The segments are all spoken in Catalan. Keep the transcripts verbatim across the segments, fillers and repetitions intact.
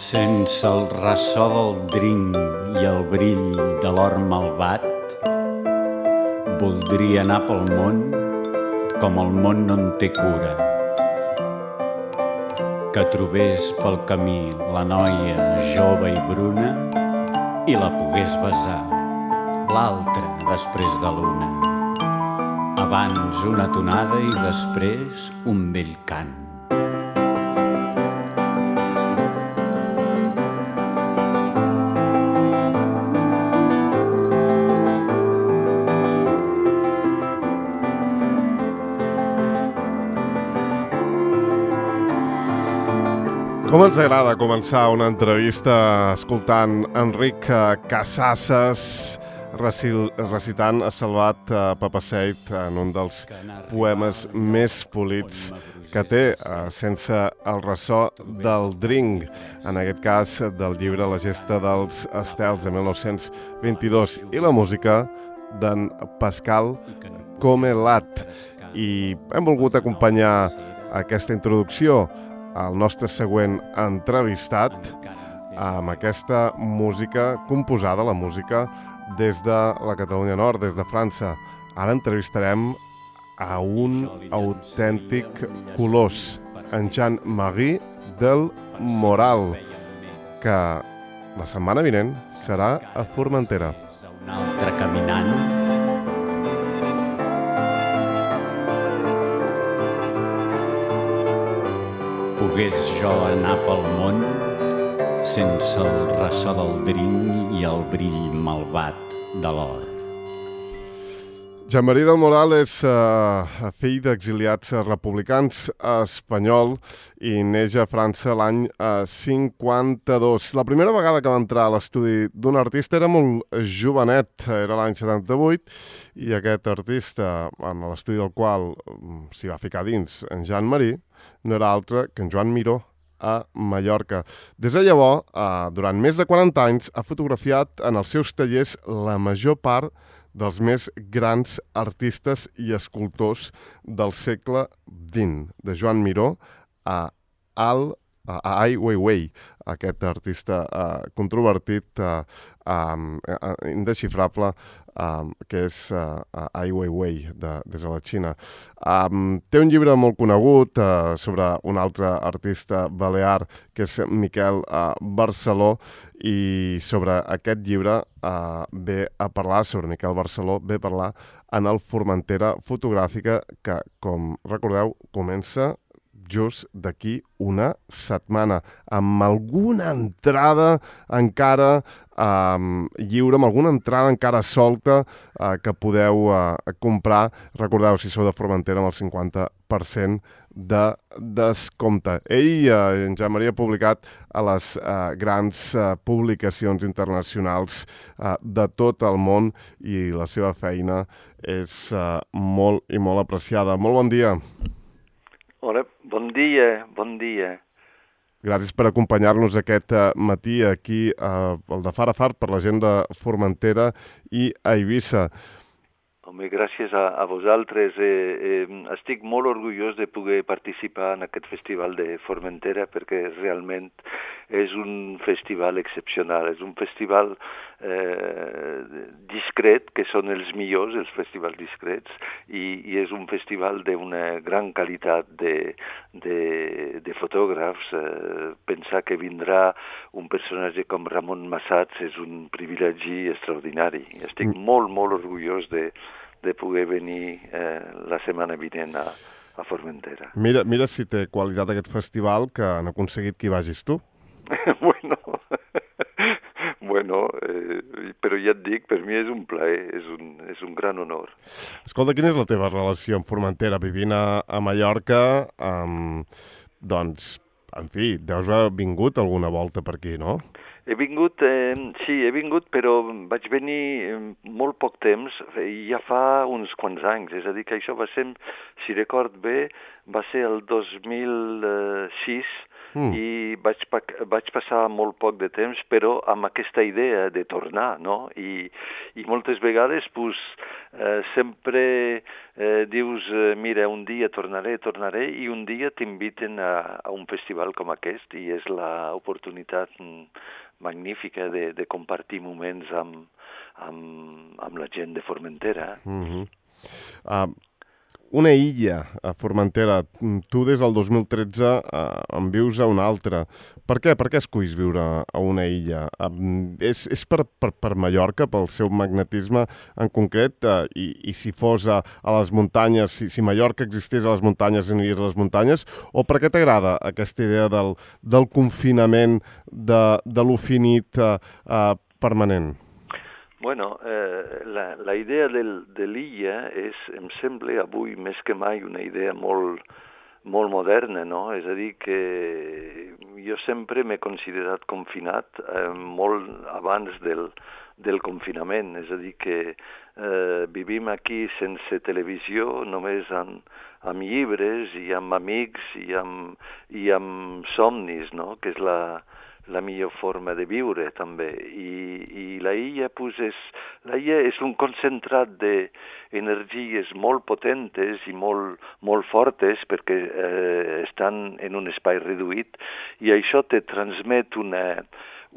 Sense el ressò del drinc i el brill de l'or malvat, voldria anar pel món com el món no en té cura. Que trobés pel camí la noia jove i bruna i la pogués besar, l'altra després de l'una. Abans una tonada i després un vell cant. Com ens agrada començar una entrevista escoltant Enric Casasses recitant a Salvat Papasseit en un dels poemes més polits que té, sense el ressò del drink, en aquest cas del llibre La gesta dels estels de mil nou-cents vint-i-dos, i la música d'en Pascal Comelat. I hem volgut acompanyar aquesta introducció al nostre següent entrevistat amb aquesta música composada, la música des de la Catalunya Nord, des de França. Ara entrevistarem a un autèntic colós, en Jean-Marie del Moral, que la setmana vinent serà a Formentera. Un altre caminant. Pogués jo anar pel món sense el ressò del drink i el brill malvat de l'or. Jean-Marie del Moral és uh, fill d'exiliats republicans espanyol i neix a França l'any uh, cinquanta-dos. La primera vegada que va entrar a l'estudi d'un artista era molt jovenet, era l'any setanta-vuit, i aquest artista, en l'estudi del qual um, s'hi va ficar dins, en Jean-Marie, no era altre que en Joan Miró, a Mallorca. Des de llavors, uh, durant més de quaranta anys, ha fotografiat en els seus tallers la major part dels més grans artistes i escultors del segle vint, de Joan Miró a Al a Ai Weiwei, aquest artista uh, controvertit, uh, um, uh, indesxifrable, um, que és uh, Ai Weiwei, de, des de la Xina. Um, té un llibre molt conegut uh, sobre un altre artista balear, que és Miquel uh, Barceló, i sobre aquest llibre uh, ve a parlar, sobre Miquel Barceló, ve a parlar en el Formentera Fotogràfica, que, com recordeu, comença just d'aquí una setmana, amb alguna entrada encara um, lliure, amb alguna entrada encara solta uh, que podeu uh, comprar. Recordeu, si sou de Formentera, amb el cinquanta per cent de descompte. Ell, uh, en Jean-Marie, ha publicat a les uh, grans uh, publicacions internacionals uh, de tot el món, i la seva feina és uh, molt i molt apreciada. Molt bon dia. Hola, bon dia, bon dia. Gràcies per acompanyar-nos aquest uh, matí aquí uh, al de Far a Far per la gent de Formentera i a Eivissa. Home, gràcies a, a vosaltres. Eh, eh, estic molt orgullós de poder participar en aquest festival de Formentera, perquè realment és un festival excepcional. És un festival eh, discret, que són els millors, els festivals discrets, i, i és un festival d'una gran qualitat de, de, de fotògrafs. Eh, pensar que vindrà un personatge com Ramon Massats és un privilegi extraordinari. Estic mm. molt, molt orgullós de de poder venir eh, la setmana vinent a, a Formentera. Mira, mira si té qualitat aquest festival, que han aconseguit que hi vagis tu. bueno, bueno eh, però ja et dic, per mi és un plaer, és un, és un gran honor. Escolta, quina és la teva relació amb Formentera? Vivint a, a Mallorca, um, doncs, en fi, deus haver vingut alguna volta per aquí, no? He vingut, eh, sí, he vingut, però vaig venir eh, molt poc temps, i ja fa uns quants anys. És a dir, que això va ser, si record bé, va ser el dos mil sis, mm. i vaig, vaig passar molt poc de temps, però amb aquesta idea de tornar, no? I, i moltes vegades pues, eh, sempre eh, dius, eh, mira, un dia tornaré, tornaré, i un dia t'inviten a, a un festival com aquest, i és l'oportunitat magnífica de, de compartir moments amb, amb, amb la gent de Formentera. Mm-hmm. uh, una illa a Formentera. Tu des del dos mil tretze uh, en vius a una altra. Per què? Per què esculls viure a una illa? Uh, és és per, per, per Mallorca, pel seu magnetisme en concret? Uh, i, I si fos a, a les muntanyes, si, si Mallorca existís a les muntanyes i aniries a les muntanyes? O per què t'agrada aquesta idea del, del confinament, de, de lo finit uh, uh, permanent? Bueno, eh, la, la idea del, de l'illa és, em sembla avui més que mai una idea molt, molt moderna, no? És a dir, que jo sempre m'he considerat confinat eh, molt abans del, del confinament, és a dir, que eh, vivim aquí sense televisió, només amb, amb llibres i amb amics i amb, i amb somnis, no? Que és la... la millor forma de viure també, i, i la illa, pues, és, la illa és un concentrat d'energies molt potentes i molt, molt fortes perquè eh, estan en un espai reduït, i això te transmet una,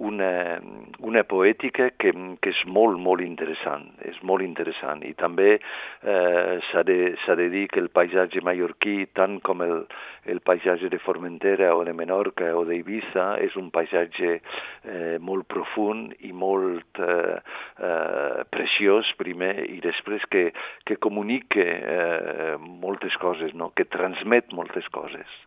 una, una poètica que, que és molt, molt interessant, és molt interessant, i també eh, s'ha de, s'ha de dir que el paisatge mallorquí, tant com el, el paisatge de Formentera o de Menorca o d'Eivissa, és un paisatge eh, molt profund i molt eh, eh, preciós primer, i després que, que comunica eh, moltes coses, no? Que transmet moltes coses.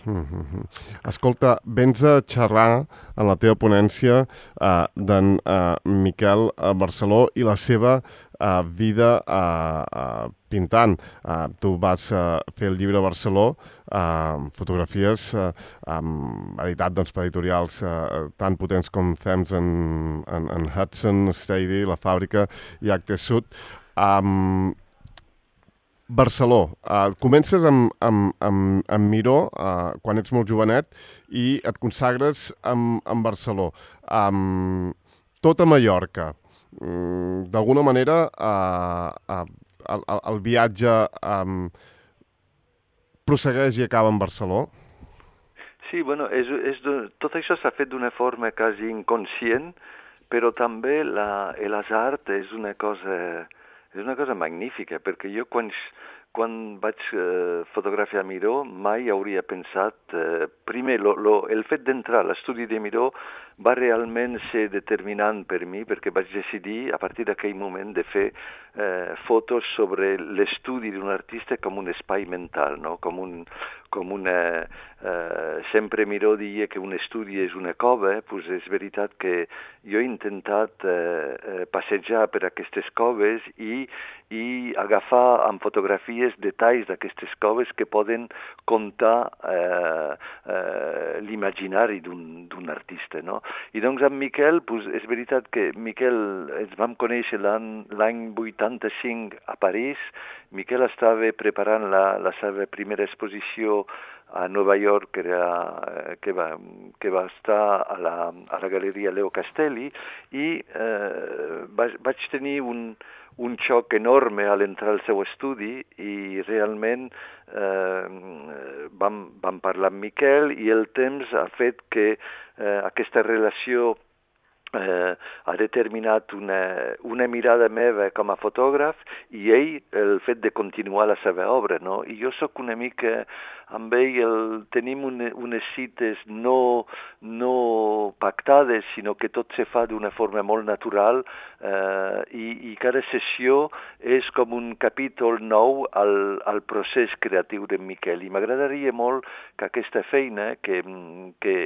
Mm-hmm. Escolta, vens a xerrar en la teva ponència uh, d'en uh, Miquel Barceló i la seva uh, vida uh, uh, pintant. Uh, tu vas uh, fer el llibre Barceló, uh, fotografies uh, um, editat doncs, per editorials uh, tan potents com Thames en, en, en Hudson, Stady, La Fàbrica i Actes Sud. Um, Barceló, uh, comences amb, amb, amb, amb Miró uh, quan ets molt jovenet i et consagres amb, amb Barceló. Um, tot a Mallorca. Um, D'alguna manera, uh, uh, el, el viatge um, prossegueix i acaba en Barceló? Sí, bueno, és, és, tot això s'ha fet d'una forma quasi inconscient, però també la, l'art és una cosa... És una cosa magnífica, perquè jo quan, quan vaig eh, fotografiar Miró mai hauria pensat... Eh, primer, lo, lo, el fet d'entrar a l'estudi de Miró va realment ser determinant per mi, perquè vaig decidir a partir d'aquell moment de fer eh, fotos sobre l'estudi d'un artista com un espai mental, no? Com un... Com una, eh, sempre Miró deia que un estudi és una cova, doncs és veritat que jo he intentat eh, passejar per aquestes coves i, i agafar amb fotografies detalls d'aquestes coves que poden contar eh, eh, l'imaginari d'un artista, no? I doncs amb Miquel, doncs és veritat que Miquel ens vam conèixer l'any vuitanta-cinc a París. Miquel estava preparant la, la seva primera exposició a Nova York, que, era, que, va, que va estar a la, a la Galeria Leo Castelli, i eh, vaig, vaig tenir un, un xoc enorme a l'entrar al seu estudi, i realment eh, vam, vam parlar amb Miquel, i el temps ha fet que eh, aquesta relació Eh, ha determinat una, una mirada meva com a fotògraf, i ell el fet de continuar la seva obra, no? I jo sóc una mica amb ell, el, tenim une, unes cites no, no pactades, sinó que tot se fa d'una forma molt natural, eh, i, i cada sessió és com un capítol nou al, al procés creatiu de Miquel, i m'agradaria molt que aquesta feina, que, que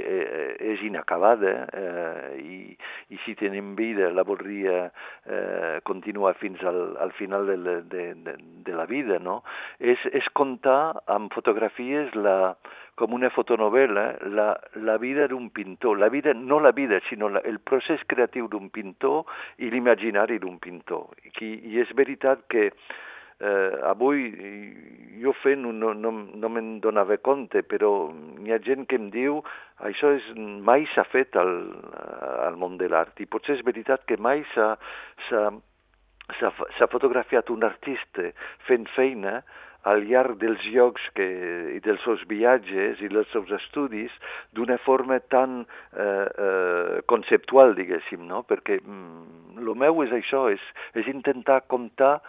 és inacabada, eh, i i si tenim vida la voldria eh, continuar fins al, al final de la, de, de, de la vida, no? És, és contar amb fotografies la, com una fotonovela la, la vida d'un pintor, la vida, no la vida, sinó la, el procés creatiu d'un pintor i l'imaginari d'un pintor. I, I és veritat que eh, avui jo fent no, no, no me'n donava compte, però hi ha gent que em diu això és, mai s'ha fet al, al món de l'art, i potser és veritat que mai s'ha, s'ha, s'ha, s'ha fotografiat un artista fent feina al llarg dels llocs que, i dels seus viatges i dels seus estudis d'una forma tan eh, eh, conceptual, diguéssim, no? Perquè el mm, meu és això, és, és intentar comptar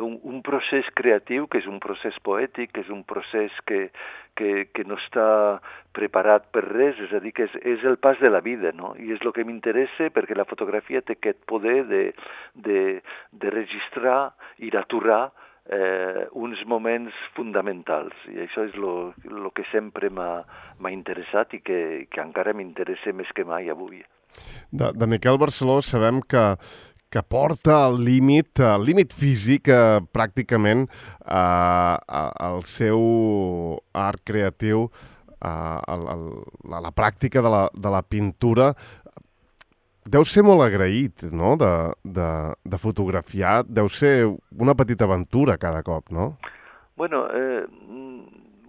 un, un procés creatiu, que és un procés poètic, que és un procés que, que, que no està preparat per res, és a dir, que és, és el pas de la vida, no? I és el que m'interessa perquè la fotografia té aquest poder de, de, de registrar i d'aturar Eh, uns moments fonamentals, i això és el que sempre m'ha interessat i que, que encara m'interessa més que mai avui. De, de Miquel Barceló sabem que, que porta al límit, al límit físic, eh, pràcticament, eh, el seu art creatiu, eh, el, el, la, la pràctica de la, de la pintura. Deu ser molt agraït, no?, de, de, de fotografiar. Deu ser una petita aventura cada cop, no? Bueno, eh,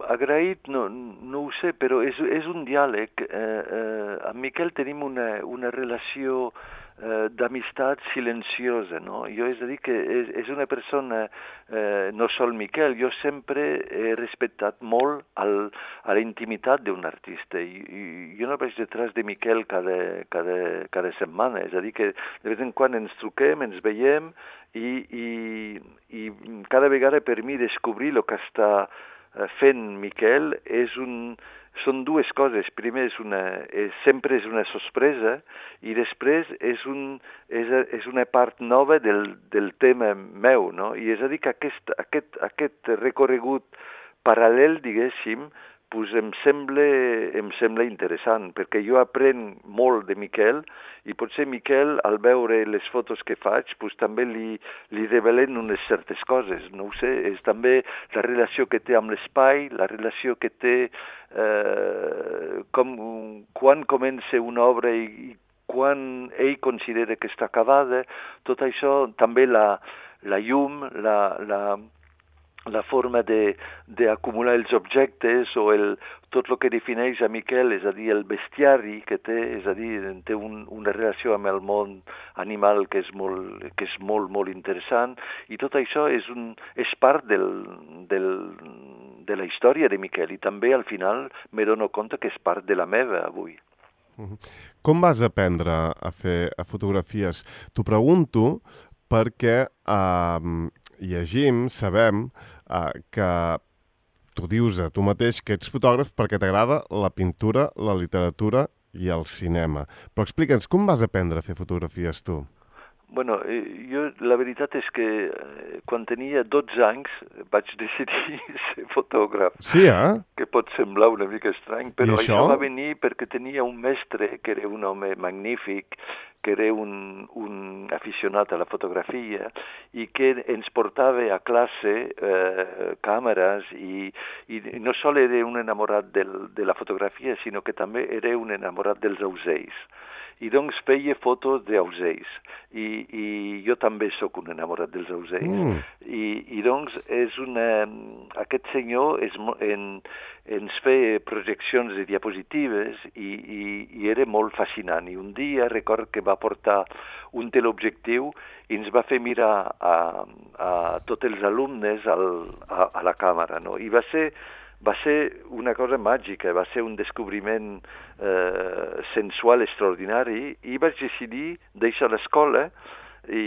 agraït no, no ho sé, però és, és un diàleg. Eh, eh, amb Miquel tenim una, una relació eh, d'amistat silenciosa, no? Jo és a dir que és, és una persona, eh, no sol Miquel, jo sempre he respectat molt el, a la intimitat d'un artista, i, i jo no vaig detrás de Miquel cada, cada, cada setmana, és a dir que de vegades en quan ens truquem, ens veiem, i, i, i cada vegada per mi descobrir el que està fent Miquel és un... Són dues coses. Primer, és una, és, sempre és una sorpresa, i després és, un, és, és una part nova del, del tema meu, no? I és a dir que aquest, aquest, aquest recorregut paral·lel, diguéssim, pues em sembla, em sembla interessant, perquè jo aprenc molt de Miquel, i potser Miquel, al veure les fotos que faig, pues també li, li revelen unes certes coses, no ho sé, és també la relació que té amb l'espai, la relació que té eh, com, quan comença una obra i, i quan ell considera que està acabada, tot això, també la, la llum, la... la la forma d'acumular els objectes, o el, tot el que defineix a Miquel, és a dir, el bestiari que té, és a dir, té un, una relació amb el món animal que és molt, que és molt, molt interessant, i tot això és, un, és part del, del, de la història de Miquel, i també al final me dono compte que és part de la meva avui. Com vas aprendre a fer a fotografies? T'ho pregunto perquè eh, llegim, sabem eh, que tu dius a tu mateix que ets fotògraf perquè t'agrada la pintura, la literatura i el cinema. Però explica'ns, com vas aprendre a fer fotografies tu? Bueno, jo la veritat és que quan tenia dotze anys vaig decidir ser fotògraf. Sí, eh? Que pot semblar una mica estrany, però això? això va venir perquè tenia un mestre que era un home magnífic, que era un, un aficionat a la fotografia i que ens portava a classe eh, càmeres, i, i no sol era un enamorat del, de la fotografia, sinó que també era un enamorat dels ausells. I doncs feia fotos d'ausells, i, i jo també sóc un enamorat dels ausells. Mm. I, i doncs és una... aquest senyor és, en, ens feia projeccions de diapositives, i, i, i era molt fascinant. I un dia record que va portar un teleobjectiu i ens va fer mirar a, a tots els alumnes al, a, a la càmera, no? I va ser... va ser una cosa màgica, va ser un descobriment eh, sensual extraordinari, i vaig decidir deixar l'escola, i,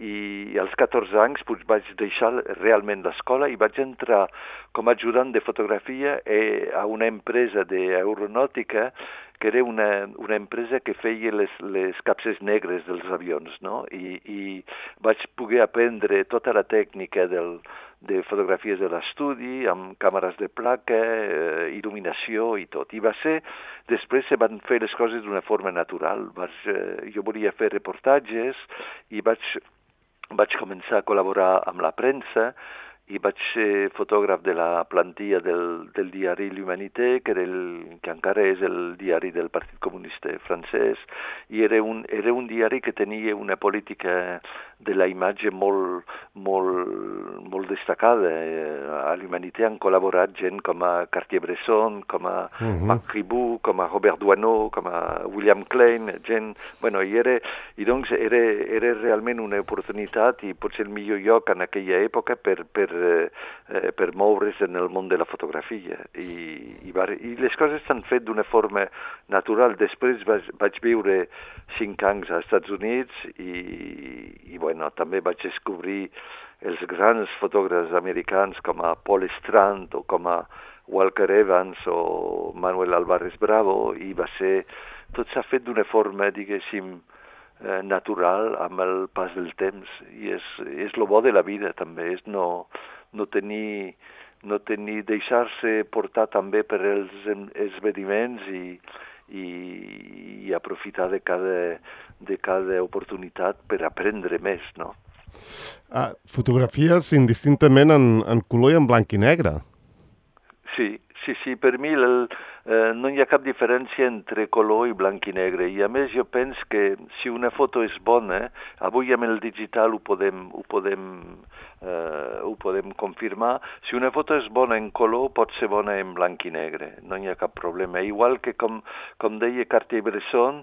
i als catorze anys pues, vaig deixar realment l'escola i vaig entrar com a ajudant de fotografia eh, a una empresa d'aeronàutica que era una, una empresa que feia les, les capses negres dels avions, no? I, i vaig poder aprendre tota la tècnica del, de fotografies de l'estudi, amb càmeres de placa, eh, il·luminació i tot. I va ser, després se van fer les coses d'una forma natural. Vaig, eh, jo volia fer reportatges i vaig, vaig començar a col·laborar amb la premsa, i vaig ser fotògraf de la plantilla del, del diari L'Humanité, que, era el, que encara és el diari del Partit Comunista francès, i era un, era un diari que tenia una política de la imatge molt, molt, molt destacada. A l'Humanité han col·laborat gent com a Cartier-Bresson, com a uh-huh. Marc Ribot, com a Robert Doisneau, com a William Klein, gent... Bueno, i, era, i doncs era, era realment una oportunitat i potser el millor lloc en aquella època per, per, eh, per moure's en el món de la fotografia. I, i, va, i les coses s'han fet d'una forma natural. Després vaig, vaig viure cinc anys als Estats Units i, i bueno, també vaig descobrir els grans fotògrafs americans com a Paul Strand o com a Walker Evans o Manuel Álvarez Bravo, i va ser... Tot s'ha fet d'una forma, diguéssim, eh, natural amb el pas del temps, i és, és lo bo de la vida també, és no, no tenir... no tenir, deixar-se portar també per els esdeveniments i, i, i aprofitar de cada, de cada oportunitat per aprendre més, no? Ah, fotografies indistintament en, en color i en blanc i negre. Sí, sí, sí, per mi el, eh, no hi ha cap diferència entre color i blanc i negre, i a més jo penso que si una foto és bona, avui amb el digital ho podem, ho podem, eh, ho podem confirmar, si una foto és bona en color pot ser bona en blanc i negre, no hi ha cap problema. Igual que com, com deia Cartier-Bresson,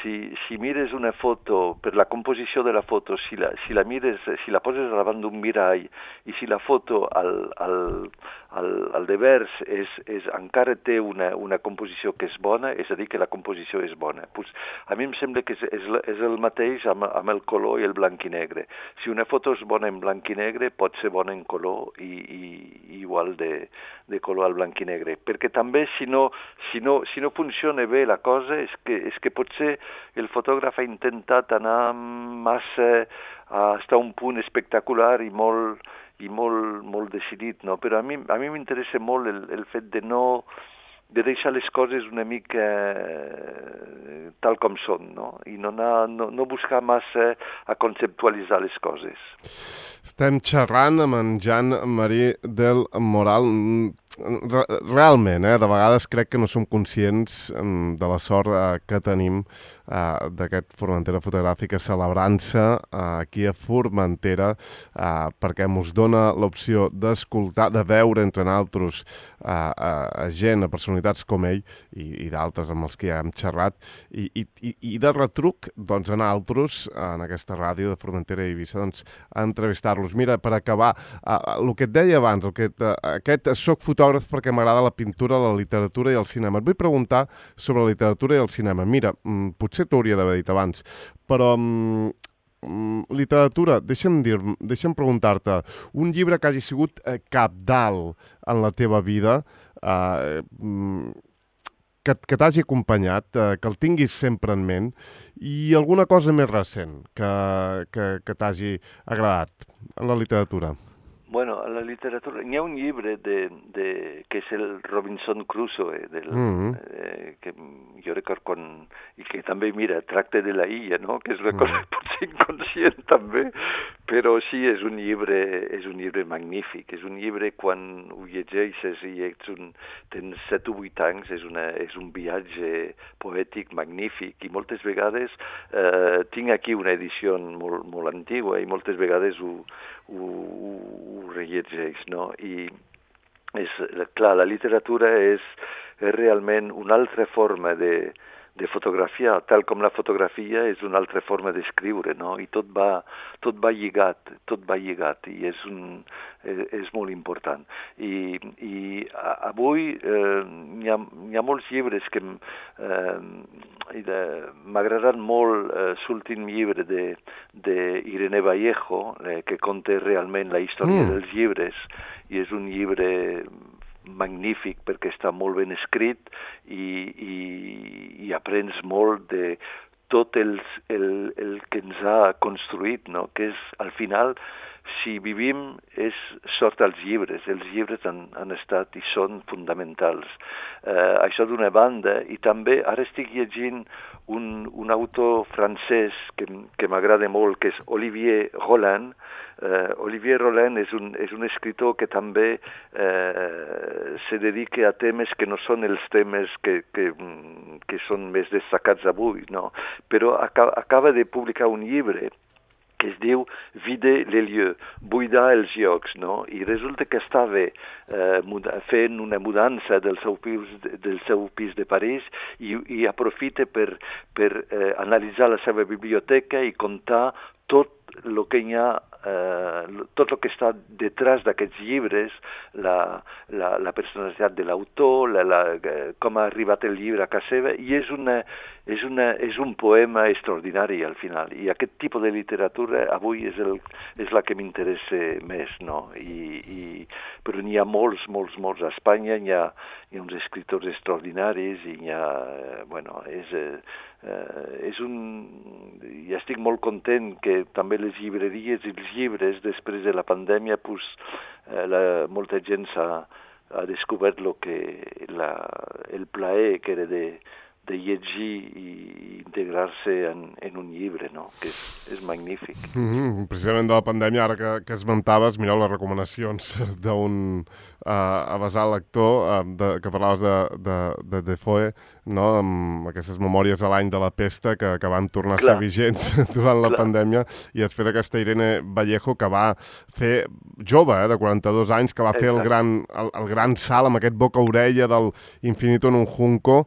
si, si mires una foto, per la composició de la foto, si la, si la mires, si la poses davant d'un mirall i si la foto al, al, al, al devers és, és, encara té una, una composició que és bona, és a dir, que la composició és bona. Pues, a mi em sembla que és, és, és el mateix amb, amb el color i el blanc i negre. Si una foto és bona en blanc i negre, pot ser bona en color i, i, i igual de, de color al blanc i negre. Perquè també, si no, si no, si no funciona bé la cosa, és que, és que potser el fotògraf ha intentat anar massa a estar a un punt espectacular i molt... i molt, molt decidit, no? Però a mi a mi m'interessa molt el, el fet de no de deixar les coses una mica eh, tal com són, no? I no, anar, no, no buscar massa a conceptualitzar les coses. Estem xerrant amb en Jean-Marie del Moral. Realment, eh, de vegades crec que no som conscients de la sort eh, que tenim eh, d'aquest Formentera Fotogràfica celebrant-se eh, aquí a Formentera eh, perquè ens dona l'opció d'escoltar, de veure entre nosaltres eh, a gent, a personalitats com ell i, i d'altres amb els que ja hem xerrat i, i, i de retruc doncs, a nosaltres, en aquesta ràdio de Formentera i Eivissa, doncs, a entrevistar-los. Mira, per acabar, eh, el que et deia abans, el que et, aquest soc fotògraf perquè m'agrada la pintura, la literatura i el cinema. Et vull preguntar sobre la literatura i el cinema. Mira, potser t'hauria d'haver dit abans, però um, literatura, deixa'm dir, deixa'm preguntar-te, un llibre que hagi sigut eh, cabdal en la teva vida, eh, que, que t'hagi acompanyat, eh, que el tinguis sempre en ment, i alguna cosa més recent que, que, que t'hagi agradat en la literatura. Bueno, a la literatura... Hi ha un llibre de, de, que és el Robinson Crusoe, del, mm-hmm. eh, que jo record quan... I que també, mira, tracta de la illa, no? Que és una cosa mm. potser inconscient també, però sí, és un llibre, és un llibre magnífic. És un llibre, quan ho llegeixes i ets un, tens set o vuit anys, és, una, és un viatge poètic magnífic, i moltes vegades eh, tinc aquí una edició molt, molt antigua i moltes vegades ho, ho, ho rellegeix, no? I és, clar, la literatura és, és realment una altra forma de, de fotografiar, tal com la fotografia és una altra forma d'escriure, no? I tot va, tot va lligat, tot va lligat, i és, un, és, és molt important. I, i avui eh, hi, ha, hi ha molts llibres que eh, m'agraden molt, eh, l'últim llibre d'Irene Vallejo, eh, que conta realment la història mm. dels llibres, i és un llibre magnífic perquè està molt ben escrit i, i, i aprens molt de tot el, el, el que ens ha construït, no? Que és, al final, si vivim, és sort als llibres. Els llibres han, han estat i són fonamentals. Eh, això d'una banda, i també ara estic llegint un, un autor francès que, que m'agrada molt, que és Olivier Roland. Eh, Olivier Roland és un, és un escriptor que també eh, se dedica a temes que no són els temes que, que, que són més destacats avui, no? Però acaba, acaba de publicar un llibre que que es diu Vider les lieux, buidar els llocs, no? I resulta que estava eh, fent una mudança del seu pis, del seu pis de París i, i aprofita per, per eh, analitzar la seva biblioteca i contar tot el que hi ha, eh, tot el que està detrás d'aquests llibres, la, la, la personalitat de l'autor, la, la, com ha arribat el llibre a casa seva, i és, una, és, una, és un poema extraordinari al final. I aquest tipus de literatura avui és, el, és la que m'interessa més, no? I, i, però n'hi ha molts, molts, molts. A Espanya hi ha, hi ha uns escriptors extraordinaris i hi ha, bueno, és... Eh, Uh, és un... I estic molt content que també les llibreries i els llibres, després de la pandèmia, pues, uh, la, molta gent s'ha ha descobert lo que la, el plaer que era de, de llegir i integrar-se en, en un llibre, no? Que és, és magnífic. Mm-hmm. Precisament de la pandèmia, ara que, que esmentaves, mireu les recomanacions d'un uh, avasal lector uh, de, que parlaves de, de, de Defoe, no? Amb aquestes memòries a l'any de la pesta que, que van tornar Clar. a ser vigents durant la Clar. pandèmia, i després aquesta Irene Vallejo que va fer, jove, eh, de quaranta-dos anys, que va Exacte. fer el gran, el, el gran salt amb aquest boca-orella del Infinito en un junco,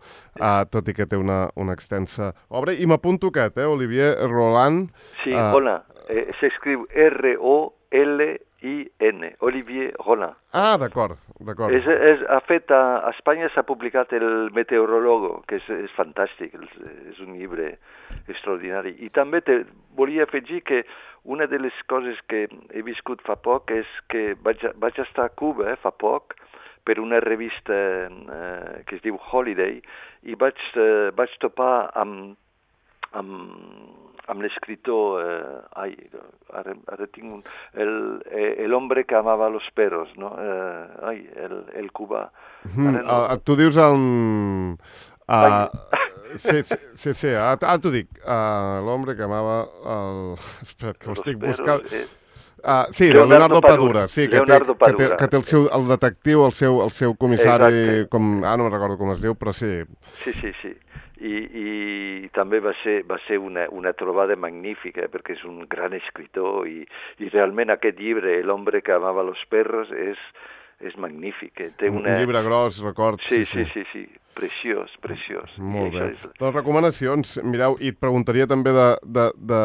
uh, tot i que té una, una extensa obra. I m'apunto aquest, eh, Olivier Roland. Sí, uh, hola, eh, s'escriu R O L I N, Olivier Roland. Ah, d'acord, d'acord. És, és, ha fet a, a Espanya s'ha publicat el Meteorólogo, que és, és fantàstic, és, és un llibre extraordinari. I també te volia afegir que una de les coses que he viscut fa poc és que vaig, vaig estar a Cuba eh, fa poc per una revista eh, que es diu Holiday i vaig, eh, vaig topar amb, amb, amb l'escriptor, eh, ai, ara, ara tinc un, el, el hombre que amava los perros, no? Eh, ai, el, el cubà. Mm, no... uh, tu dius el... Uh, sí, sí, sí, sí, ara t'ho dic, uh, l'hombre que amava el... Espera, que ho estic buscant... Eh... Uh, sí, Leonardo, Leonardo Padura, Padura, sí, que té, que, té, que té el seu el detectiu, el seu, el seu comissari, Exacte. com, ah, no me'n recordo com es diu, però sí. Sí, sí, sí. I, i també va ser, va ser una, una trobada magnífica, perquè és un gran escriptor i, i realment aquest llibre, El hombre que amava los perros, és, és magnífic. Té una... Un llibre gros, record. Sí, sí, sí, sí, sí. Preciós, preciós. Molt bé. És... Les recomanacions, mireu, i et preguntaria també de, de, de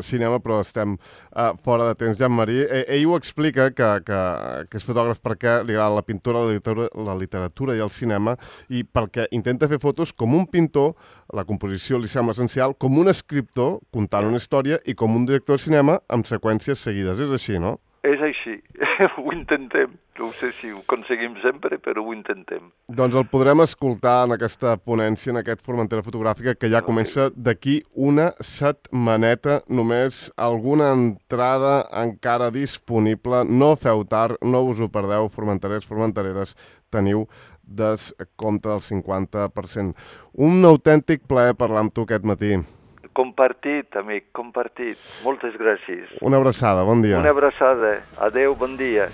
cinema, però estem uh, fora de temps. Jean-Marie, eh, ell ho explica, que, que, que és fotògraf perquè li agrada la pintura, la literatura, la literatura i el cinema, i perquè intenta fer fotos com un pintor, la composició li sembla essencial, com un escriptor contant una història i com un director de cinema amb seqüències seguides. És així, no? És així, ho intentem. No sé si ho aconseguim sempre, però ho intentem. Doncs el podrem escoltar en aquesta ponència, en aquest Formentera Fotogràfica, que ja comença d'aquí una setmaneta. Només alguna entrada encara disponible. No feu tard, no us ho perdeu, formenterers, formentereres, teniu descompte del cinquanta per cent. Un autèntic plaer parlar amb tu aquest matí. Compartit, amic, compartit. Moltes gràcies. Una abraçada, bon dia. Una abraçada. Adeu, bon dia.